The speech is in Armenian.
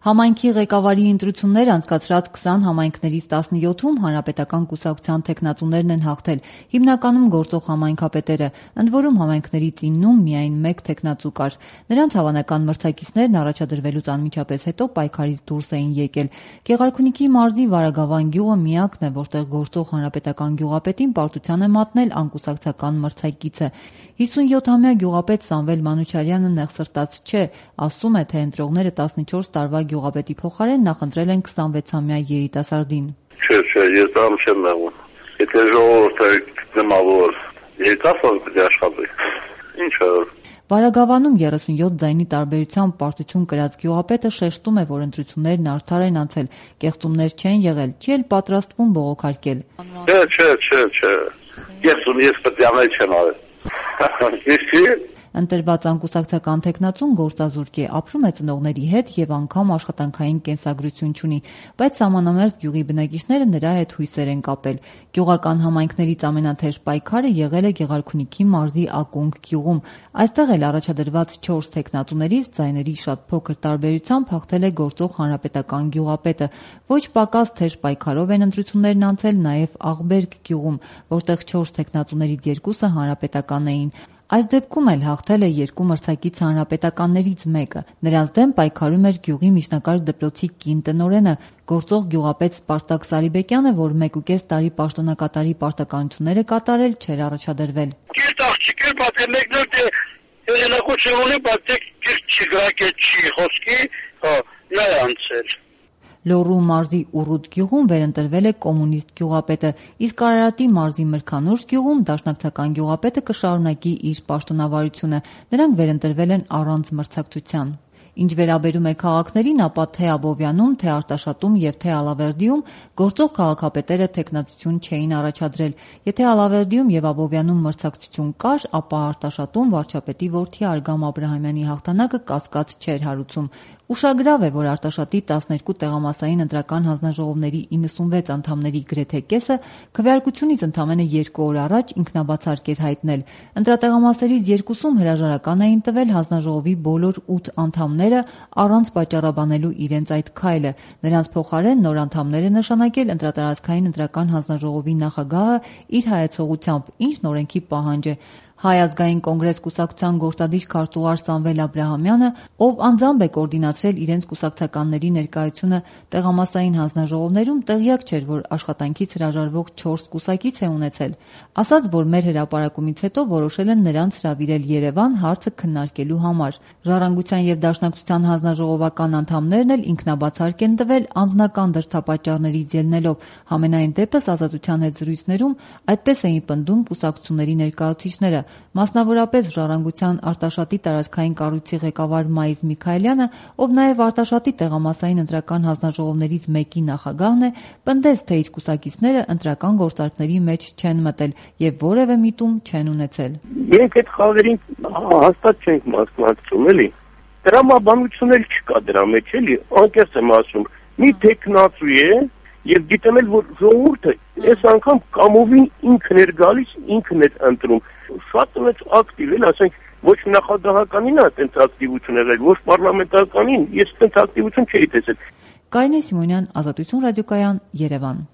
Համայնքի ղեկավարի ընտրություններ անցկացրած 20 համայնքներից 17-ում հանրապետական կուսակցության թեկնածուներն են հաղթել, հիմնականում գործող համայնքապետերը, ընդ որում համայնքներից 9-ում միայն մեկ թեկնածու կար։ Նրանց հավանական մրցակիցներն առաջադրվելուց անմիջապես հետո պայքարից դուրս էին եկել։ Գեղարքունիքի մարզի Վարագավան գյուղը միակն է, որտեղ գործող հանրապետական գյուղապետին պարտության է մատնել անկուսակցական մրցակիցը։ 57-ամյա գյուղապետ Սամվել Մանուչարյանը նեղսրտած չէ, ասում է, թե ընտրողները 14 տարվա գյուղապետի փոխարեն նախընտրել են 26-ամյա երիտասարդին։ Չէ, ես դրամ չեմ նեղում։ Եթե ժողովուրդը գտնա, որ երիտասարդ պետք է աշխատի, ինչ է։ Վարագավանում 37 ձայնի տարբերությամբ պարտություն կրած գյուղապետը շեշտում է, որ ընտրություններն արդար են անցել, կեղծումներ չեն եղել, չի էլ պատրաստվում բողոքարկել։ Չէ։ Ես պետք է անել չեմ արել։ Ընտրված անկուսակցական թեկնածուն գործազուրկ է, ապրում է ծնողների հետ եւ անգամ աշխատանքային կենսագրություն չունի, բայց սահմանամերձ գյուղի բնակիչները նրա հետ հույսեր են կապել։ Գյուղական համայնքներից ամենաթեժ պայքարը եղել է Գեղարքունիքի մարզի Ակունք գյուղում։ Այստեղ էլ առաջադրված 4 թեկնածուներից ձայների շատ փոքր տարբերությամբ հաղթել է գործող հանրապետական գյուղապետը։ Ոչ պակաս թեժ պայքարով են ընտրություններն անցել նաեւ Աղբերք գյուղում, որտեղ 4 թեկնածուներից 2-ը հանրապետական էին։ Այս դեպքում էլ հաղթել է 2 մրցակից հանրապետականներից մեկը։ Նրանց դեմ պայքարում էր գյուղի միջնակարգ դպրոցի կին տնօրենը, գործող գյուղապետ Սպարտակ Սարիբեկյանը, որ 1.5 տարի պաշտոնակատարի պարտականություններ է կատարել, չէր առաջադրվել։ Կիրտ աղջիկ էր, բայց մեկներ հեղինակություն ունի, բայց կիրտ չգրակեց չի խոսքի, նա է անցել։ Լոռու մարզի Ուռուտ գյուղում վերընտրվել է կոմունիստ գյուղապետը, իսկ Արարատի մարզի Մրգանուշ գյուղում դաշնակցական գյուղապետը կշարունակի իր պաշտոնավարությունը։ Նրանք վերընտրվել են առանց մրցակցության։ Ինչ վերաբերում է քաղաքներին, ապա թե Աբովյանում, թե Արտաշատում եւ թե Ալավերդիում գործող քաղաքապետերը թեկնածություն չէին առաջադրել։ Եթե Ալավերդիում եւ Աբովյանում մրցակցություն կար, ապա Արտաշատում վարչապետի որդի Արգամ Աբրահամյանի հաղթանակը կասկած չէր հարուցում։ Ուշագրավ է, որ Արտաշատի 12 տեղամասային ընտրական հանձնաժողովների 96 անդամների գրեթե կեսը քվեարկությունից ընդամենը 2 օր առաջ ինքնաբացարկ էր հայտնել։ Ընտրատեղամասերից 2-ում հրաժարական էին տվել հանձնաժողովի բոլոր 8 անդամները առանց պատճառաբանելու իրենց այդ քայլը։ Նրանց փոխարեն նոր անդամներ է նշանակել ընտրատարածքային ընտրական հանձնաժողովի նախագահը իր հայեցողությամբ, ինչն օրենքի պահանջ է։ Հայ ազգային կոնգրես կուսակցության գործադիր քարտուղար Սամվել Աբրահամյանը, ով անձամբ է կոորդինացրել իրենց կուսակցականների ներկայությունը տեղամասային հանձնաժողովներում, տեղյակ չէր, որ աշխատանքից հրաժարվող 4 կուսակից է ունեցել։ Ասաց, որ մեր հրապարակումից հետո որոշել են նրանց հրավիրել Երևան հարցը քննարկելու համար։ Ժառանգության եւ Դաշնակցության հանձնաժողովական անդամներն էլ ինքնաբացարկ են տվել անձնական դրդապատճառներից ելնելով։ Համենայն դեպս Ազատության հետ զրույցներում այդպես էին պնդում կուսակցությունների ներկայացուցիչները։ Մասնավորապես Ժառանգության Արտաշատի տարածքային կառույցի ղեկավար Մայիս Միքայելյանը, ով նաև Արտաշատի տեղամասային ընտրական հանձնաժողովներից մեկի նախագահն է, պնդեց, թե իր կուսակիցները ընտրական գործարքների մեջ չեն մտել եւ որևէ միտում չեն ունեցել։ Մենք այդ խաղերին հաստատ չենք մասնակցում, էլի։ Տրամաբանություն չկա դրա մեջ, էլի, անկեղծ եմ ասում։ Մի տեխնացու է եւ գիտեմ էլ, որ ժողովուրդը այս անգամ կամովին ինքն էր գալիս, ինքն էր ընտրում։ Շատ մեծ ակտիվ էլ, ասենք, ոչ նախագահականին է այդպես ակտիվություն եղել, ոչ պարլամենտարականին, ես այդպես ակտիվություն չէի տեսել։ Կարինե Սիմոնյան, Ազատություն ռադիոկայան, Երևան։